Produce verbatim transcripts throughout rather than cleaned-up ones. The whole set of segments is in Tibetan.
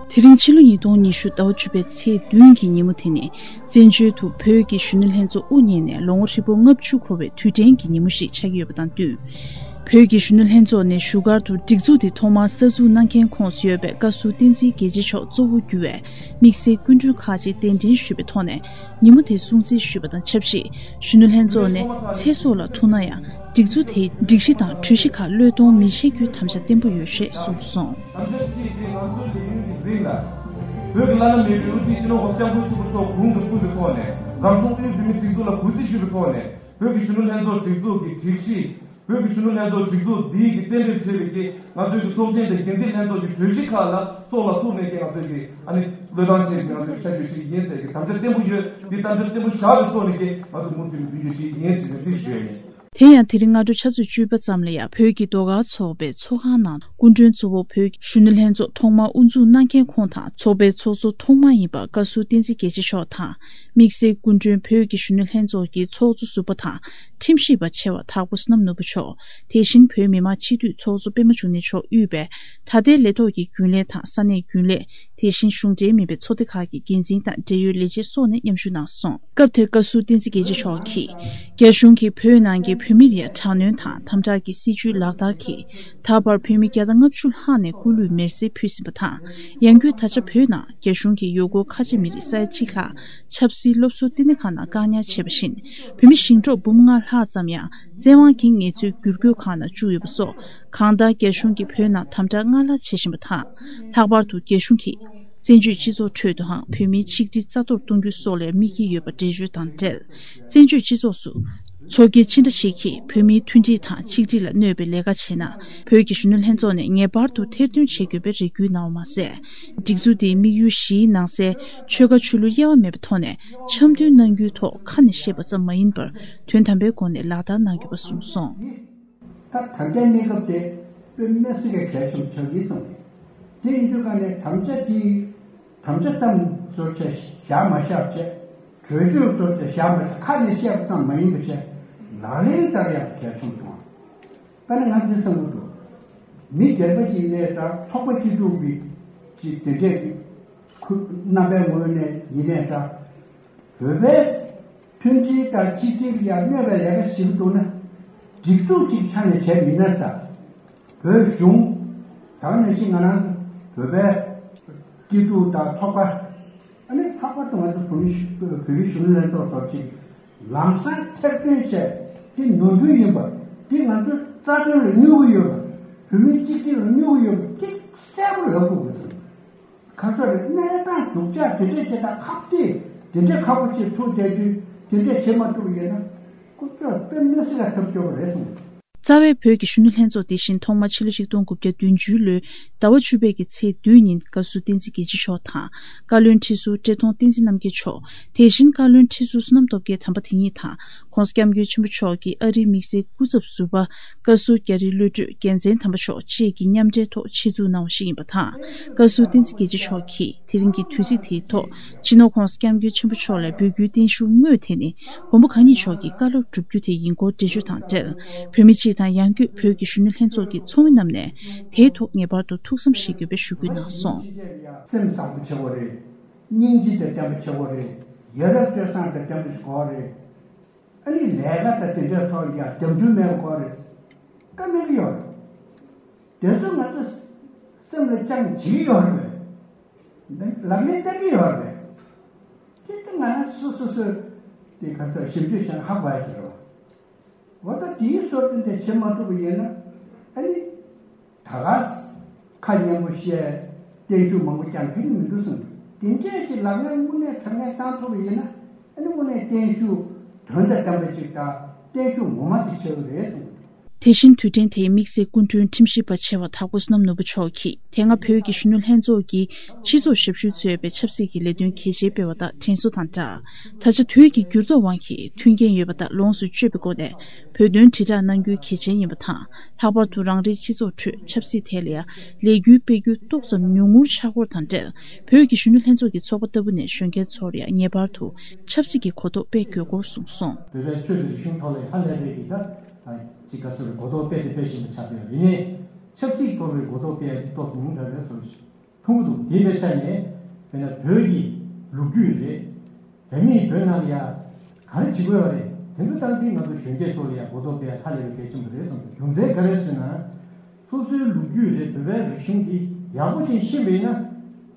དེ་རིང་ཕྱི་ལོ་ཉིས་སྟོང་ཉི་ཤུ་ཟླ་བ་བཅུ་པའི་ཚེས་བདུན་གྱི་ཉིན་མོ་དེ་ནི་བཙན་བྱོལ་དུ་བོད་ཀྱི་གཞོན་ནུ་ལྷན་ཚོགས་དབུ་བརྙེས་ནས་ལོ་ངོ་ཧྲིལ་པོ་ལྔ་བཅུ་འཁོར་བའི་དུས་དྲན་གྱི་ཉིན་མོ་ཞིག་ཆགས་ཀྱི་ཡོད་པ་དང་བསྟུན། བོད་ཀྱི་གཞོན་ནུ་ལྷན་ཚོགས་ནས་བཞུགས་སྒར་དུ་སྒྲིག་འཛུགས་དེ་ཐོག་མར་གསར་འཛུགས་གནང་མཁན་ཁོངས་སུ་ཡོད་པའི་བཀའ་ཟུར་བསྟན་འཛིན་དགེ་བྱེད་མཆོག་གཙོ་བོ་གྱུར་བའི་དམིགས་བསལ་སྐུ་མགྲོན་ཁག་ཅིག་གདན་འདྲེན་ཞུས་པའི་ཐོག་ནས་ཉིན་མོ་དེ་སྲུང་བརྩི་ཞུས་པ་དང་ཆབས་ཅིག་གཞོན་ནུ་ལྷན་ཚོགས་ནས་ཚེ་སྲོག་ལ་ཐུག་ན་ཡང་སྒྲིག་འཛུགས་དེའི་སྒྲིག་གཞི་དང་གྲོས་གཞི་ཁག་བློས་གཏོང་མི་བྱེད་རྒྱུའི་དམ་བཅའ་བརྟན་པོ་ཡོད་ཞེས་གསུངས་སོང་། དམ་བཅའ་གཅིག་དེ་ང་ཚོའི་ལས་ཡུན་གྱི་རིང་ལ། བོད་ཀྱི་བླ་ན་མེད་པའི་དབུ་ཁྲིད་སྤྱི་ནོར་༸གོང་ས་༸སྐྱབས་མགོན་ཆེན་པོ་མཆོག་དགུང་དུ་བསྐུལ་བའི་ཐོག་ནས། རང་གཞུང་དབུས་བོད་མིའི་སྒྲིག་འཛུགས་ལ་གུས་བརྩི་ཞུས་པའི་ཐོག་ནས། བོད་ཀྱི་གཞོན་ནུ་ལྷན་ཚོགས་སྒྲིག་འཛུགས་ཀྱི་སྒྲིག་གཞི། བོད་ཀྱི་གཞོན་ནུ་ལྷན་ཚོགས་སྒྲིག་འཛུགས་འདིའི་གི་རྟེན་འབྲེལ་བྱས་པའི་གི་ང་ཚོའི་གི་ཚོགས་ཆེན་དང་འགན་འཛིན་ལྷན་ཚོགས་ཀྱི་གྲོས་གཞི་ཁག་ལ་སྲོག་ལ་ཐུག་ནས་ཀྱི་ང་ཚོའི་གི་ཨ་ནི་བློས་བཏང་བྱས་ཀྱི་ང་ཚོའི་ཤར་བསྐྱོད་བྱེད་ཀྱི་ཡིན་ཟེར་གི་དམ་བཅའ་བརྟན་པོ་ཡོད། འདི་དམ་བཅའ་བརྟན་པོ་བཞག་པའི་ཐོག་ནས་ཀྱི་ང་ཚོ་མུ་མཐུད་ནས་མདུན་སྐྱོད་བྱེད་ཀྱི་ཡིན་ཟེར་ནས་འདི་ཞུ་ཡ་ཡིན། དེ་ཡང་དེ་རིང་སྔ་དྲོ་ཆུ་ཚོད་བཅུ་པ་ཙམ་ལ་ཡང་བོད་ཀྱི་ཟློས་གར་ཚོགས་པའི་ཚོགས་ཁང་ནང་སྐུ་མགྲོན་གཙོ་བོ་བོད་ཀྱི་གཞོན་ནུ་ལྷན་ཚོགས་ཐོག་མར་དབུ་འཛུགས་གནང་མཁན་ཁོང་དང་ཚོགས་པའི་ཚོགས་གཙོ་ཐོག་མ་ཡིན་པ་བཀའ་ཟུར་བསྟན་འཛིན་དགེ་བྱེད་མཆོག་དང་། དམིགས་བསལ་སྐུ་མགྲོན་བོད་ཀྱི་གཞོན་ནུ་ལྷན་ཚོགས་ཀྱི་ཚོགས་གཙོ་ཟུར་པ་དང་ཁྲིམས་ཞིབ་པ་ཆེ་བ་དྭགས་པོ་བསོད་ནམས་ནོར་བུ་མཆོག་དེ་བཞིན་བོད་མི་མང་སྤྱི་འཐུས་ཚོགས་གཙོ་པད་མ་འབྱུང་གནས་མཆོག་དབུས་པའི་ད་ལྟའི་ལས་ཐོག་གི་རྒྱུན་ལས་དང་ས་གནས་རྒྱུན་ལས། དེ་བཞིན་གཞུང་འབྲེལ་མིན་པའི་ཚོགས་སྡེ་ཁག་གི་འགན་འཛིན་དང་འབྲེལ་ཡོད་ལས་བྱེད་སོགས་ནས་མཉམ་ཞུགས་གནང་སོང་། སྐབས་དེར་བཀའ་ཟུར་བསྟན་འཛིན་དགེ་བྱེད་མཆོག་གིས། རྒྱ་གཞུང་གིས་བོད་ནང་གི་བོད་མི་ལ་དྲག་གནོན་དང་དམ་དྲག་གི་སྲིད་བྱུས་ལག་བསྟར་གྱིས། ད་བར་བོད་མི་བརྒྱ་དང་ལྔ་བཅུ་ལྷག་ནས་སྐུ་ལུས་མེར་སྲེག་ཕུལ་ཟིན་པ་དང་། ཡང་སྒོས་ད་ཆ་བོད་ནང་རྒྱ་གཞུང་གིས་ཡུལ་སྐོར་ཁ་ཆེ་མི་རིགས་ས་ཡ་གཅིག་ལྷག་ཆབ་སྲིད་སློབ་གསོ་བསྟི་གནས་ཁང་ནང་བཀག་ཉར་བྱས་པ་བཞིན། བོད་མི་ཞིང་འབྲོག་འབུམ་ལྔ་ལྷག་ཙམ་ཡང་བཙན་དབང་གིས་ངལ་རྩོལ་བསྒྱུར་བཀོད་ཁང་ནང་བཅུག་ཡོད་པ་སོགས། གང་ལྟར་རྒྱ་གཞུང་གིས་བོད་ནང་དམ་དྲག་སྔར་ལྷག་བྱེད་བཞིན་པ་དང་། ལྷག་པར་དུ་རྒྱ་གཞུང་གིས་བཙན་བྱོལ་སྤྱི་ཚོགས་ཁྲོད་དུའང་བོད་མིའི་ཆིག་སྒྲིལ་རྩ་གཏོར་གཏོང་རྒྱུ་སོགས་ལ་དམིགས་ཀྱི་ཡོད་པ་འགྲེལ་བརྗོད་དང་འབྲེལ། བཙན་བྱོལ་སྤྱི་ཚོགས་སུ་ཚོགས་སྒེར་ཅི་འདྲ་ཞིག་གིས་བོད་མིའི་མཐུན་སྒྲིལ་དང་ཆིག་སྒྲིལ་ལ་གནོད་པའི་ལས་ཀ་བྱས་ན། བོད་ཀྱི་གཞོན་ནུ་ལྷན་ཚོགས་ནས་ངེས་པར་དུ་ཐེར་འདོན་བྱེད་དགོས་པའི་རེ་སྐུལ་གནང་བ་མ་ཟད། སྒྲིག་འཛུགས་འདིའི་དམིགས་ཡུལ་བཞིའི་ནང་གསལ་ཆོལ་ཁ་ཆོས་ལུགས་དབྱེ་བ་མེད་པའི་ཐོག་ནས་འཆམ་མཐུན་གནང་རྒྱུའི་ཐོག་ཁ་ནས་བཤད་པ་ཙམ་མ་ཡིན་པར་དོན་དམ་པའི་སྒོ་ནས་ལག་བསྟར་གནང་དགོས་པ་གསུངས་སོང་། ད་ད་ལྟའི་གནས་སྐབས་དེ་དཔེ་མི་སྲིད་པའི་གལ་ཆེན་པོ་ཆགས་ཀྱི་ཙམ་རེད། དེ་ཡིན་དུས་ཀ་ནས་དམ་བཅའ་དེ་དམ་བཅའ་ཙམ་བཟོ་བྱས་བཞག་མ་བཞག་བྱས། གྲོས་ཆོད་བཟོ་བྱས་བཞག་མ་བཞག་ཁ་ནས་བཤད་པ་ཙམ་མ་ཡིན་པ་བྱས། ལག་ལེན་བསྟར་ཡག་གལ་ཆེན་པོ་བྱུང་བ། ད་ནི་ང་འདི་བསམ་གྱི་འདུག་མི་སྒེར་པ་ཅིག་ནས་ད་ཚོགས་པ་སྐྱིད་སྡུག་གི་ཅིག་དེ་འདྲས་ཀྱི་ཁུ་རྣམ་པའི་ངོས་ནས་ཡིན་ནས་ད། བོད་པའི་མཐུན་སྒྲིལ་དང་གཅིག་སྒྲིལ་ཡར་གནོད་པའི་ལས་ཀ་ཞིག་འདུག་ན། སྒྲིག་འཛུགས་ཅིག་ཆ་ནས་བྱས་ཡིན་ན་ད། བོད་གཞུང་། ད་ག་ནང་བཞིན་ང་རང་ཚོ་བོད་པའི་སྐྱིད་སྡུག་དང་ཚོགས་པ། ཨ་ནི་ལྷག་པར་དུ་ང་ཚོ་བོད་མི་བོད་རིགས་གཞོན་ནུ་ལྷན་ཚོགས་སོགས་ཀྱིས་ལམ་སང་ཐེར་འདོན་བྱས་དེ་ནོར་འཁྲུལ་ཡིན་པ། དེ་ང་ཚོའི་རྩ་དོན་ལ་གནོད་ཀྱི་ཡོད་པ། བོད་མིའི་གཅིག་སྒྲིལ་ལ་གནོད་ཀྱི་ཡོད་པ་དེ་གསལ་པོ་ལབ་དགོས་ཀྱི་ཟེར། ཁ་སོ་རེ་གནས་སྟངས་སྡུག་ཅག་དེ་འདྲས་བྱེད་སྟངས་ཁག་དེ་དེ་འདྲས་ཁག་པོ་བྱེད་ཐུབ་བསྡད་དུས་དེ་འདྲས་བྱེད་མ་ཐུབ་པ་ཡིན་ན་ཀུན་སྤྱོད་དཔེ་མི་སྲིད་ལ་ཐབས་སྐྱོ་བ་རེད་གསུངས། རྩ་བའི་བོད་ཀྱི་གཞོན་ནུ་ལྷན་ཚོགས་དེ་བཞིན་ཐོག་མ་ཕྱི་ལོ་ཆིག་སྟོང་དགུ་བརྒྱ་བདུན་ཅུ་ལོའི་ཟླ་བ་བཅུ་པའི་གི་ཚེས་བདུན་ཉིན་བཀའ་ཟུར་བསྟན་འཛིན་དགེ་བྱེད་མཆོག་དང་བཀའ་བློན་ཁྲི་ཟུར་བཀྲས་མཐོང་བསྟན་འཛིན་རྣམ་རྒྱལ་མཆོག་དེ་བཞིན་བཀའ་བློན་ཁྲི་ཟུར་བསོད་ནམས་སྟོབས་རྒྱལ་དམ་པ་དེ་ཉིད་དང་༸གོང་ས་༸སྐྱབས་མགོན་ཆེན་པོ་མཆོག་གི་ཨ་རིའི་དམིགས་བསལ་སྐུ་ཚབ་ཟུར་པ་བཀའ་ཟུར་རྒྱ་རི་བློ་གྲོས་རྒྱལ་མཚན་དམ་པ་མཆོག་བཅས་ཀྱི་མཉམ་འབྲེལ་ཐོག་ཆེད་འཛུགས་གནང་བ་ཞིག་ཡིན་པ་དང་། བཀའ་ཟུར་བསྟན་འཛིན་དགེ་བྱེད་མཆོག་གིས་དེ་རིང་གི་དུས་ཚིགས་དེའི་ཐོག་སྤྱི་ནོར་༸གོང་ས་༸སྐྱབས་མགོན་ཆེན་པོ་མཆོག་ལ་འབོད་སྐུལ་བརྟན་བཞུགས་དངོས་དེ་ནི་མགོན་པོ་གང་ཉིད་མཆོག་གི་བཀའ་སློབ་བསྒྲུབ་རྒྱུ་དེ་ཡིན་སྐོར་འགྲེལ་བརྗོད་དང་འབྲེལ། བོད་མི་སྤྱི་དང་ཡང་སྒོས་བོད་ཀྱི་གཞོན་ནུ་ལྷན་ཚོགས་ཀྱི་ཚོགས་མི་རྣམས་ནས་དེའི་ཐོག་ངེས་པར་དུ་ཐུགས་བསམ་བཞེས་དགོས་པའི་ཞུ་སྐུལ་གནང་སོང་། སེམས་བཟང་པོ་ཆེ་བོ་རེད། སྙིང་རྗེ་དང་ལྡན་པ་ཆེ་བོ་རེད། ཡ་རབས་སྤྱོད་བཟང་དང་ལྡན་པ་ཞིག་དགོས་རེད། ཨ་ནི་ལས་ཀ་དང་དེ་འདྲའི་ཐོག་ཡ་རྒྱབ་འགྲུལ་མེད་པ་དགོས་རེད། བཀའ་གནང་གི་ཡོད་རེད། དེ་ཚོ་ང་ཚོ་སེམས་ལ་བཅངས་བྱེད་ཀྱི་ཡོད་རེད་པས། ལག་ལེན་བསྟར་གྱི་ཡོད་རེད་པས། དེ་ལྟ་ང་རང་སོ་སོ་སོས་དེ་ག་ཚོད་ཞིབ་འཇུག་བྱས་ན་ཧ་གོ་ཡ་ཟེར་བ། འོ་ད་དེའི་སྲོལ་རྒྱུན་དེ་བྱེད་མ་ཐུབ་པ་ཡིན་ན་ཨ་ནི་ད་ག་ཁ་སྙན་པོ་བཤད་བརྟན་བཞུགས་མང་པོ་བསྐྱངས་ཁྱོན་ནས་མི་འགྲོ་བསམ་འདུག་དེ་འདྲས་ཀྱི་ལག་ལེན་དངོས་གནས་དྲང་གནས་བཏང་ཐུབ་པ་ཡིན་ན་ཨ་ནི་དངོས་གནས་བརྟན་བཞུགས་དོན་དང་ལྡན་པ་ཅིག་དང་བརྟན་བཞུགས་ངོ་མ་དེ་ཆགས་ཀྱི་རེད་བསམ་འདུག་དེ་བཞིན་དུས་དྲན་དེའི་དམིགས་བསལ་སྐུ་མགྲོན་ཁྲིམས་ཞིབ་པ་ཆེ་བ་དྭགས་པོ་བསོད་ནམས་ནོར་བུ་མཆོག་གིས་དེ་སྔ་བོད་ཀྱི་གཞོན་ནུ་ལྷན་ཚོགས་ཀྱིས་སྤྱི་ཚོགས་ཞབས་ཞུ་གཙོས་པའི་ཆབ་སྲིད་ཀྱི་ལས་དོན་གལ་ཆེན་སྤེལ་བ་དང་དྲན་གསོ་དང་སྦྲགས། ད་ཆ་དུས་ཀྱི་འགྱུར་ལྡོག་དབང་གིས་མཐུན་རྐྱེན་ཡོད་པ་དང་ལོངས་སུ་སྤྱོད་པའི་སྒོ་ནས་བོད་དོན་དྲིལ་བསྒྲགས་གནང་རྒྱུ་གལ་ཆེན་ཡིན་པ་དང་། ལྷག་པར་དུ་རང་རེའི་སྤྱི་ཚོགས་ཁྲོད་ཆབ་སྲིད་ཐད་ལ་ཡང་ལས་འགུལ་སྤེལ་རྒྱུ་ཏོག་ཙམ་ཉུང་ངུར་ཆགས་སྐོར་དང་འབྲེལ། བོད་ཀྱི་གཞོན་ནུ་ལྷན་ཚོགས་ཀྱི་ཚོགས་པ་ལྟ་བུ་ནས་གཞོན་སྐྱེས་ཚོར་ཡང་ངེས་པར་དུ་ཆབ་སྲིད་ཀྱི་གོ་རྟོགས་སྤེལ་དགོས་སྐོར་གསུངས་སོང་། བོད་པའི་ཆོས་དང་རིག་གཞུང་ཐོག་ལ་ཧ་ལས་པའི་གི་ད་ཅིག་ག་ཟེར་གོ་རྟོགས་སྤེལ་དུ་སྤེལ་བཞིན་པ་ཆགས་ཡོད་རེད། ཆབ་སྲིད་ཐོག་ལ་གོ་རྟོགས་སྤེལ་ཡ་དེ་ཏོག་ཙམ་ཉུང་དྲགས་རེད་ཟེར། མཐོང་གི་འདུག་དེ་འདྲའི་ཆ་ནས་དཔེར་ན་བོད་ཀྱི་ལོ་རྒྱུས་རེད། བོད་མིས་བོད་ནང་ལ་ཡ་ག་རེ་བྱེད་དགོས་པ་རེད། དེ་ཚོ་ལྟར་དུས་ང་ཚོ་གཞོན་སྐྱེས་ཚོ་ལ་ཡ་གོ་རྟོགས་སྤེལ་ཡ་ཧ་ལས་པའི་གལ་ཆེན་པོ་རེད་བསམ་འདུག་རྒྱུ་མཚན་ག་རེ་ཟེར་ན། སོ་སོའི་ལོ་རྒྱུས་རེད། བོད་པའི་རིག་གཞུང་འདི་ཡག་པོ་ཅིག་ཤེས་པ་ཡིན་ན།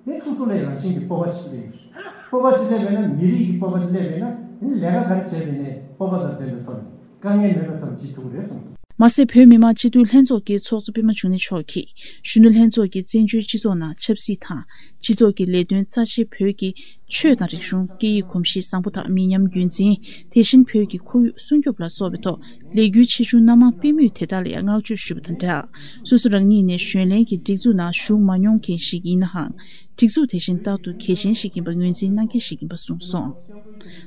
དེ་སོ་སོ་ལ་ཡ་རང་བཞིན་གྱི་སྤོབས་པ་ཞིག་སླེབས་ཡོང་། སྤོབས་པ་ཞིག་སླེབས་པ་ཡིན་ན། མི་རིགས་ཀྱི་སྤོབས་པ་ཞིག་སླེབས་པ་ཡིན་ན། དེ་ནི་ལས་ཀ་ག་རེ་བྱས་པ་ཡིན་ནའི་སྤོབས་པ་དང་ལྡན་པའི་ཐོག་ནས་དཀའ་ངལ་མེད་པའི་ཐོག་ནས་བྱེད་ཐུབ་ཀྱི་རེད་བསམ་འདུག་མ་ཟད། བོད་མི་མང་སྤྱི་འཐུས་ལྷན་ཚོགས་ཀྱི་ཚོགས་གཙོ་པད་མ་འབྱུང་གནས་མཆོག་གིས་གཞོན་ནུ་ལྷན་ཚོགས་ཀྱི་བཙན་བྱོལ་སྤྱི་ཚོགས་ནང་ཆབ་སྲིད་དང་སྤྱི་ཚོགས་ཀྱི་ལས་དོན་རྩ་ཆེའི་བོད་ཀྱི་ཆོས་དང་རིག་གཞུང་། སྐད་ཡིག་གོམས་གཤིས་བཟང་པོ་དང་མི་ཉམས་རྒྱུན་འཛིན། དེ་བཞིན་བོད་ཀྱི་ཁོར་ཡུག་སྲུང་སྐྱོབ་ལ་སོགས་པའི་ཐོག་ལས་འགུལ་ཆེ་ཆུང་སྣ་མང་སྤེལ་མུས་དེ་དག་ལ་ཡང་བསྔགས་བརྗོད་ཞུས་པ་དང་སྦྲགས། སོ་སོ་རང་ཉིད་ནས་གཞོན་ལྷན་གྱི་སྒྲིག་འཛུགས་ནང་ཞུགས་མ་མྱོང་མཁན་ཞིག་ཡིན་ནའང་། སྒྲིག་འཛུགས་དེ་བཞིན་རྟག་ཏུ་གལ་ཆེན་ཞིག་ཡིན་པ་ངོས་འཛིན་གནང་མཁན་ཞིག་ཡིན་པ་གསུངས་སོང་།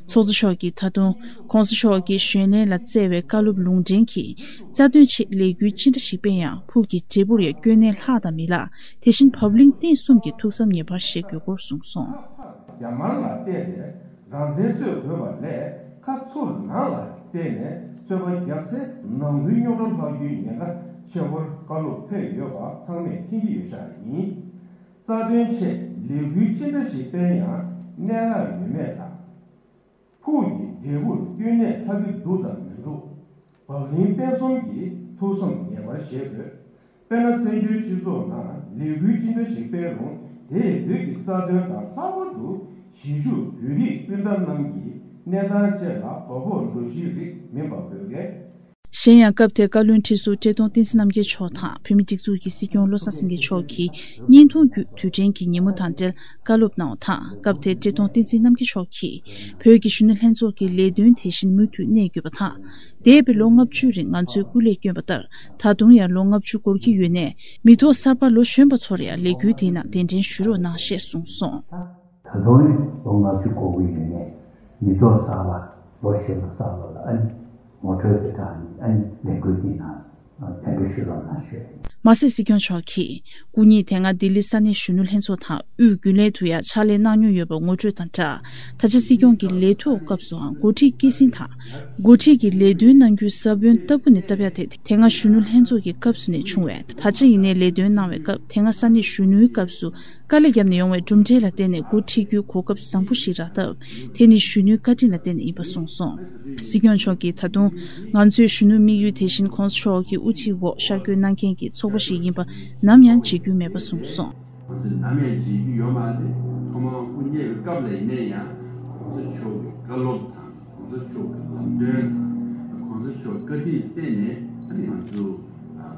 ཚོགས་གཙོ་མཆོག་གིས་ད་དུང་༸གོང་ས་མཆོག་གིས་གཞོན་ལྷན་ལ་བསྩལ་བའི་བཀའ་སློབ་ལུང་འདྲེན་གྱིས། རྩ་དོན་ཆེད་ལས་འགུལ་ཅི་འདྲ་ཞིག་སྤེལ་ཡང་ཕུགས་ཀྱི་འབྲས་བུར་ཡང་སྐྱོན་གནས་ལྷག་དང་མི་ལྷག་དེ་བཞིན་བབ་བརླིང་བརྟན་གསུམ་གྱི་ཐུགས་བསམ་ངེས་པར་བཞེས་དགོས་སྐོར་གསུངས་སོང་། རྒྱ་དམར་ལ་བལྟས་ཏེ་རང་བཙན་རྩོད་དགོས་པ་ལས། ཁ་ཚུར་ནང་ལ་བལྟས་ནས་རྩོད་པ་རྒྱག་ཚེ་ནང་ཁུལ་རྙོག་དྲ་ལྷག་རྒྱུའི་ཉེན་ཁ་ཆེ་བར་བཀའ་སློབ་ཕེབས་ཡོད་པ་ཚང་མས་མཁྱེན་གྱི་ཡོད་ཤག་ཡིན། རྩ་དོན་ཆེད་ལས་འགུལ་ཅི་འདྲ་ཞིག་སྤེལ་ཡང་གནད་འགག་ཡོད་མེད་དང་། ཕུགས་ཀྱི་འབྲས་བུར་སྐྱོན་གནས་ལྷག་གི་འདུག་དང་མི་འདུག་བབ་བརླིང་བརྟན་གསུམ་གྱི་ཐུགས་བསམ་ངེས་པར་བཞེས་དགོས། དཔེར་ན། བཙན་བྱོལ་སྤྱི་ཚོགས་ནང་ལས་འགུལ་ཅི་འདྲ་ཞིག་སྤེལ་རུང་། དེས་བོད་ཀྱི་རྩ་དོན་དང་། ལྷག་པར་དུ་གཞིས་བཞུགས་བོད་རིགས་སྤུན་ཟླ་རྣམས་ཀྱི་གནས་སྟངས་བཅས་ལ་དོ་ཕོག་འགྲོ་གཞི་རིགས་མིན་པ་དགོས་གལ། གཞན་ཡང་། སྐབས་དེར་བཀའ་བློན་ཁྲི་ཟུར་བཀྲས་མཐོང་བསྟན་འཛིན་རྣམ་རྒྱལ་མཆོག་དང་། བོད་མིའི་སྒྲིག་འཛུགས་ཀྱི་སྲིད་སྐྱོང་བློ་བཟང་སེང་གེ་མཆོག་གིས་བརྙན་ཐུང་བརྒྱུད་དུས་དྲན་གྱི་ཉིན་མོ་དང་འབྲེལ་བཀའ་སློབ་གནང་བ་དང་། སྐབས་དེར་བཀྲས་མཐོང་བསྟན་འཛིན་རྣམ་རྒྱལ་མཆོག་གིས། བོད་ཀྱི་གཞོན་ནུ་ལྷན་ཚོགས་ཀྱི་ལས་དོན་དེ་བཞིན་མུ་མཐུད་གནས་དགོས་པ་དང་། འདས་པའི་ལོ་ལྔ་བཅུའི་རིང་ང་ཚོས་སྐུ་ལས་བསྐྱོན་པ་ལྟར། ད་དུང་ཡང་ལོ་ལྔ་བཅུ་འགོར་གྱི་ཡོད་ནས། མི་ཐོག་གསར་པ་ལོ་གཞོན་པ་ཚོར་ཡང་ལས་འགུལ་དེའི་ནང་གདན་འདྲེན་ཞུ་རོགས་གནང་ཞེས་གསུངས་སོང་། ད་དུང་ཡང་ལོ་ལྔ་བཅུ་འགོར་གྱི་ཡོད་ནས། མི་ཐོག་གསར་པ་ལོ་གཞོན་པ་གསར་པ་ལ་ཨ་ནི་ངོ་སྤྲོད་དེ་དག་ནི་ཨ་ནི་ལས་འགུལ་དེའི་ནང་གདན་འདྲེན་ཞུ་རོགས་གནང་ཞུ། མ་ཟད། སྲིད་སྐྱོང་མཆོག་གིས་སྐུ་ཉིད་དེ་སྔ་ལྡི་ལི་ས་གནས་གཞོན་ནུ་ལྷན་ཚོགས་དང་དབུས་རྒྱུན་ལས་དུ་ཡང་ཕྱག་ལས་གནང་མྱོང་ཡོད་པ་ངོ་སྤྲོད་དང་སྦྲགས། ད་ཆ་སྲིད་སྐྱོང་གི་ལས་ཐོག་སྐབས་སུའང་འགོ་ཁྲིད་སྐྱེད་སྲིང་དང་། འགོ་ཁྲིད་ཀྱི་ལས་དོན་གནང་རྒྱུའི་ས་བོན་ལྟ་བུ་ནས་བཏབ་ཡ་དེ་དེ་སྔ་གཞོན་ནུ་ལྷན་ཚོགས་ཀྱི་སྐབས་སུ་ནས་བྱུང་བས། ད་ཆ་ཡིན་ནའི་ལས་དོན་གནང་བའི་སྐབས། དེ་སྔ་ས་གནས་གཞོན་ནུའི་སྐབས་སུ་དཀའ་ལས་བརྒྱབ་ནས་ཡོང་བའི་གྲུབ་འབྲས་ལ་བརྟེན་ནས་འགོ་ཁྲིད་རྒྱུའི་གོ་སྐབས་བཟང་པོ་ཞིག་རག་སྟབས། དེ་ནི་གཞོན་ནུའི་བཀའ་དྲིན་ལ་བརྟེན་ནས་ཡིན་པ་གསུངས་སོང་། སྲིད་སྐྱོང་མཆོག་གིས་ད་དུང་། ང་ཚོའི་གཞོན་ནུའི་དམིགས་ཡུལ་དེ་བཞིན་༸གོང་ས་མཆོག་གི་དབུ་ཁྲིད་འོག་ཤར་བསྐྱོད་གནང་མཁན་གྱི་ཚོགས་པ་ཞིག་ཡིན་པ་ནམ་ཡང་བརྗེད་རྒྱུ་མེད་པ་གསུངས་སོང་། ང་ཚོས་ནམ་ཡང་བརྗེད་རྒྱུ་ཡོད་མ་རེད། ཐོག་མར་དབུ་བརྙེས་པའི་སྐབས་ལ་ཡིན་ན་ཡང་༸གོང་ས་མཆོག་གི་བཀའ་སློབ་དང་༸གོང་ས་མཆོག་གི་ལམ་སྟོན་དང་༸གོང་ས་མཆོག་བཀའ་དྲིན་བརྟེན་ནས་ཨ་ནི་ང་ཚོ་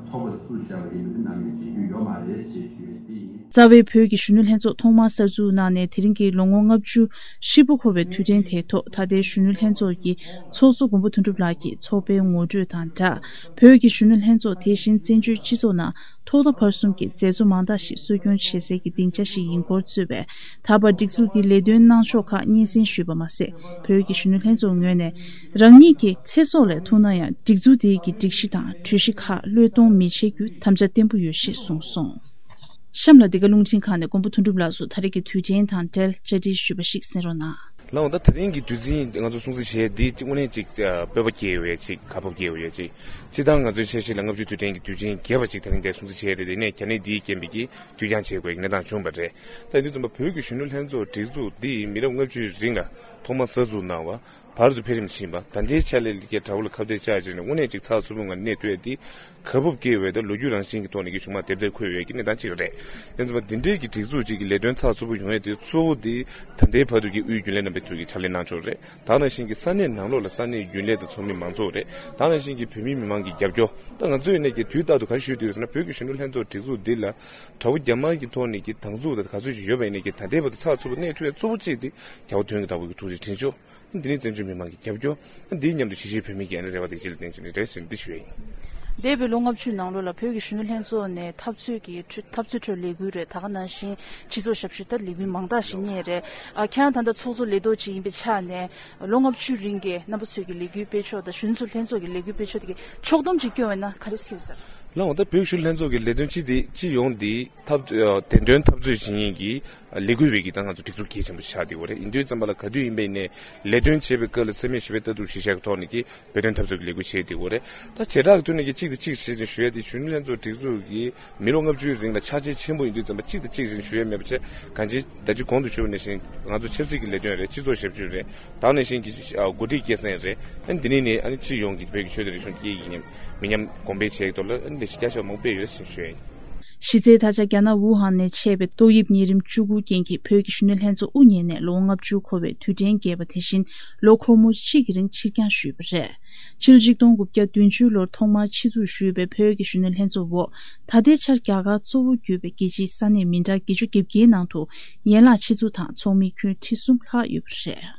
ཚོགས་པ་དེ་བཙུགས་བཞག་པ་ཡིན་པ་དེ་ནམ་ཡང་བརྗེད་རྒྱུ་ཡོད་མ་རེད་ཅེས་ཞུ་ཡས་དེ་ཡིན། རྩ་བའི་བོད་ཀྱི་གཞོན་ནུ་ལྷན་ཚོགས་ཐོག་མར་གསར་འཛུགས་གནང་ནས་དེ་རིང་གི་ལོ་ངོ་ལྔ་བཅུ་ཧྲིལ་པོ་འཁོར་བའི་དུས་དྲན་དེའི་ཐོག་ད་ལྟའི་གཞོན་ནུ་ལྷན་ཚོགས་ཀྱི་ཚོགས་གཙོ་མགོན་པོ་དོན་གྲུབ་ལགས་ཀྱིས་ཚོགས་པའི་ངོ་སྤྲོད་དང་སྦྲགས། བོད་ཀྱི་གཞོན་ནུ་ལྷན་ཚོགས་དེ་བཞིན་བཙན་བྱོལ་སྤྱི་ཚོགས་ནང་ཐོག་མཐའ་བར་གསུམ་གྱི་མཛད་གཙོ་མང་དག་ཞིག་གསོ་སྐྱོང་བྱེད་སའི་གི་སྡིངས་ཆ་ཞིག་ཡིན་སྐོར་གཙོས་པའི་ད་བར་སྒྲིག་འཛུགས་ཀྱི་ལས་དོན་གནང་ཕྱོགས་ཁག་སྙན་སེང་ཞུས་པ་མ་ཟད། བོད་ཀྱི་གཞོན་ནུ་ལྷན་ཚོགས་ངོས་ནས་རང་ཉིད་ཀྱི་ཚེ་སྲོག་ལས་ཐུག་ན་ཡང་སྒྲིག་འཛུགས་དེའི་གི་སྒྲིག་གཞི་དང་གྲོས་གཞི་ཁག་བློས་གཏོང་མི་བྱེད་རྒྱུའི་དམ་བཅའ་བརྟན་པོ་ཡོད་ཞེས་གསུངས་སོང་། གཤམ་ལ་འདི་ག་རླུང་འཕྲིན་ཁང་ནས་མགོན་པོ་དོན་གྲུབ་ལགས་སུ་ད་རེས་ཀྱི་དུས་དྲན་དང་འབྲེལ་བཅར་འདྲི་ཞུས་པ་ཞིག་གསན་རོགས་གནང་། ལགས་འོང་། ད་དེ་རིང་གི་དུས་ཆེན་ང་ཚོ་སྲུང་བརྩི་བྱས་འདི་གཅིག་དངོས་གནས་གཅིག་སྤོབས་པ་སྐྱེ་ཡོད་ཅིག་དགའ་སྤོབས་སྐྱེ་ཡོད་ཅིག་སྤྱིར་བཏང་ང་ཚོའི་འཆར་གཞི་ལ་ལྔ་བཅུའི་དུས་དྲན་གྱི་དུས་ཆེན་རྒྱས་པ་ཅིག་དེ་རིང་འདིར་སྲུང་བརྩི་བྱས་རེད། དེ་ནས་གལ་གནད་འདིའི་རྐྱེན་པས་ཀྱིས་དུས་འགྱངས་བྱེད་དགོས་ཀྱི་གནས་སྟངས་བྱུང་བ་རེད། ད་ཡིན་དུས་ཙམ་པ་བོད་ཀྱི་གཞོན་ནུ་ལྷན་ཚོགས་སྒྲིག་འཛུགས་འདི་མི་རབས་ལྔ་བཅུའི་རིང་ལ་ཐོག་མར་གསར་འཛུགས་གནང་བ། བར་དུ་འཕེལ་རིམ་ཕྱིན་པ། ད་ལྟའི་ཆ་ལས་ལ་ཀྱི་དགྲ་བོ་ལ་ཁ་གཏད་བཅག་བྱས་ནས་དངོས་གནས་ཅིག་ཚགས་ཚུད་པོ་ངང་གནས་ཐུབ་ཡ་འདི་དགའ་སྤོབས་སྐྱེ་བའི་ད་ལོ་རྒྱུས་རང་བཞིན་གྱི་ཐོག་ནས་ཀྱི་བྱུང་མ་དེབ་ཐེར་འཁོད་ཡོད་ཀྱི་གནས་སྟངས་ཅིག་རེད། ཡིན་ཙམ་པ་འདི་འདྲའི་གི་སྒྲིག་འཛུགས་ཅིག་གི་ལས་དོན་ཚགས་ཚུད་པོ་ཡོང་ཡ་དེ་གཙོ་བོ་དེ་ད་ལྟའི་བར་དུ་གི་དབུས་རྒྱུན་ལས་རྣམ་པ་ཚོས་ཀྱི་ཕྱག་ལས་གནང་ཕྱོགས་རེད། ད་ནང་བཞིན་གྱི་ས་གནས་ནང་ལོགས་ལ་ས་གནས་རྒྱུན་ལས་དང་ཚོགས་མི་མང་ཚོགས་རེད། ད་ནང་བཞིན་གྱི་བོད་མི་མི་མང་གི་རྒྱབ་སྐྱོར། ད་ང་ཚོས་ནས་ཀྱི་དུས་རྟག་ཏུ་ག་རེ་ཞུས་འདུག་ཟེར་ན། བོད་ཀྱི་གཞོན་ནུ་ལྷན་ཚོགས་སྒྲིག་འཛུགས་འདི་ལ་དགྲ་བོ་རྒྱ་དམར་གྱི་ཐོག་ནས་ཀྱི་སྡང་ཟུག་དང་ག་ཚོད་ཅིག་ཡོད་པ་ཡིན་ནས་ཀྱི་ད་ལྟའི་བར་དུ་ཚགས་ཚུད་པོ་གནས་ཐུབ་ཡ་གཙོ་བོ་གཅིག་དེ་རྒྱལ་བ་དོན་གྱི་བདག་པོ་གི་ཐུགས་རྗེ་དྲིན་ཆེན། འདི་ནི་བཙན་བྱོལ་མི་མང་གི་རྒྱབ་སྐྱོར། འདིའི་མཉམ་དུ་གཞིས་བྱེས་བོད་མི་གི་ཨ་ནི་རེ་བ་དེ་ཅི་ལ་བརྟེན་བྱས་ནས་རེད་ཟེར་འདི་ཞུ་ཡ་ཡིན། འདས་པའི་ལོ་ལྔ་བཅུའི་ནང་ལོགས་ལ་བོད་ཀྱི་གཞོན་ནུ་ལྷན་ཚོགས་ནས་འཐབ་རྩོད་ཀྱི་འཐབ་རྩོད་ཁྲོད་ལས་འགུལ་རེད། ད་ག་ནང་བཞིན་སྤྱི་ཚོགས་ཞབས་ཞུ་ལྟར་ལས་འགུལ་མང་དག་ཞིག་གཉེར་རེད། ཨ། ཁྱེད་རང་ད་ལྟ་ཚོགས་གཙོ་ལས་ཐོག་ཅིག་ཡིན་པའི་ཆ་ནས་ལོ་ལྔ་བཅུའི་རིང་གི་རྣམ་པ་ཚོས་ཀྱི་ལས་འགུལ་སྤེལ་ཕྱོགས་དང་གཞོན་ཚོ་ལྷན་ཚོགས་ཀྱི་ལས་འགུལ་སྤེལ་ཕྱོགས་དེ་གི་ཕྱོགས་བསྡོམས་ཅིག་སྐྱོན་བས་ན་ག་རེ་ཟེར་ཟེར། ལགས་འོང་། ད་བོད་གཞོན་ནུ་ལྷན་ཚོགས་ཀྱི་ལས་དོན་སྤྱི་དེ་སྤྱི་ཡོངས་འདི་འཐབ་བདེན་དོན་འཐབ་རྩོད་བྱེད་མཁན་གྱི་ལས་འགུལ་བའི་གི་ད་ང་ཚོ་སྒྲིག་འཛུགས་གལ་ཆེན་པོ་ཆགས་བསྡད་ཡོད་རེད། ཡིན་དུས་ཙམ་པ་ལ་ག་དུས་ཡིན་པ་ཡིན་ནའི་ལས་དོན་བྱེད་པའི་སྐབས་ལ་འཚེ་མེད་ཞི་བའི་ལྟ་གྲུབ་གཞི་བཞག་གི་ཐོག་ནས་ཀྱི་བོད་དོན་འཐབ་རྩོད་ཀྱི་ལས་འགུལ་བྱེད་བསྡད་ཡོད་རེད། ད་བྱེ་བྲག་གི་ཐོག་ནས་ཀྱི་གཅིག་དང་གཅིག་བྱས་ནས་ཞུ་ཡ་དེ་གཞོན་ནུ་ལྷན་ཚོགས་སྒྲིག་འཛུགས་ཀྱི་མི་ལོ་ལྔ་བཅུའི་རིང་ལ་ཆགས་ཆེ་ཆེན་པོ་ཡིན་དུས་ཙམ་པ་གཅིག་དང་གཅིག་བྱས་ནས་ཞུ་ཡ་མེད་པ་བྱས་གང་ཅི་ད་ཅི་གོང་དུ་ཞུས་པ་ནང་བཞིན་ང་ཚོ་ཆབ་སྲིད་ཀྱི་ལས་དོན་རེད། སྤྱི་ཚོགས་ཞབས་ཞུ་རེད། དེ་ནང་བཞིན་གྱི་ཨ་འགོ་ཁྲིད་སྐྱེད་སྲིང་རེད། ཨ་ནི་འདི་ནས་ནི་ཨ་ནི་སྤྱི་ཡོངས་ཀྱི་བོད་ཀྱི་ཆོས་དང་རིག་གཞུང་སྐད་ཡིག་ཉམས་མི་ཉམས་གོང་འཕེལ་བྱེད་ཀྱི་ཐོག་ལ་ཨ་ནི་ལས་གཞི་བརྒྱ་ཆ་མང་པོ་སྤེལ་ཡོད་ཟེར་ཞུ་ཡ་ཡིན། གཞི་རྩའི་ད་ཆ་རྒྱ་ནག་ཝུ་ཧན་ནས་མཆེད་པའི་ཏོག་དབྱིབས་ནད་རིམས་བཅུ་དགུ་རྐྱེན་གྱིས་བོད་ཀྱི་གཞོན་ནུ་ལྷན་ཚོགས་དབུ་བརྙེས་ནས་ལོ་ངོ་ལྔ་བཅུ་འཁོར་བའི་དུས་དྲན་རྒྱས་པ་དེ་བཞིན་ལོ་འཁོར་མོ་གཅིག་གི་རིང་ཕྱིར་འགྱངས་ཞུས་པ་རེད། ཕྱི་ལོ་ཆིག་སྟོང་དགུ་བརྒྱ་བདུན་ཅུ་ལོར་ཐོག་མར་ཆེད་འཛུགས་ཞུས་པའི་བོད་ཀྱི་གཞོན་ནུ་ལྷན་ཚོགས་འོག་ད་ལྟའི་ཆར་རྒྱ་གར་གཙོ་བོ་གྱུར་པའི་རྒྱལ་སྤྱིའི་ས་གནས་མི་གྲངས་བརྒྱད་ཅུ་གྱ་བརྒྱད་ནང་དུ་ཡན་ལག་ཆེད་འཛུགས་དང་ཚོགས་མི་ཁྱོན་ཁྲི་གསུམ་ལྷག་ཡོད་པ་རེད།